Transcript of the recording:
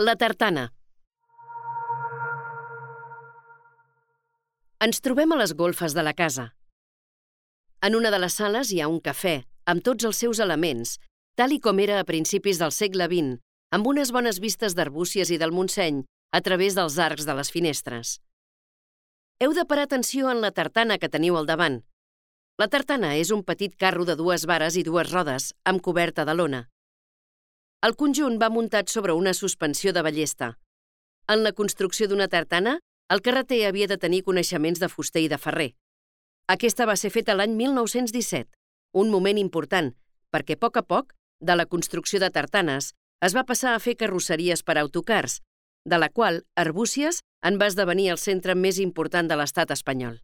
La tartana. Ens trobem a les golfes de la casa. En una de les sales hi ha un cafè, amb tots els seus elements, tal i com era a principis del segle XX, amb unes bones vistes d'Arbúcies i del Montseny a través dels arcs de les finestres. Heu de parar atenció en la tartana que teniu al davant. La tartana és un petit carro de 2 vares i 2 rodes, amb coberta de lona. El conjunt va muntat sobre una suspensió de ballesta. En la construcció d'una tartana, el carreter havia de tenir coneixements de fuster i de ferrer. Aquesta va ser feta l'any 1917, un moment important, perquè a poc, de la construcció de tartanes, es va passar a fer carrosseries per a autocars, de la qual Arbúcies en va esdevenir el centre més important de l'estat espanyol.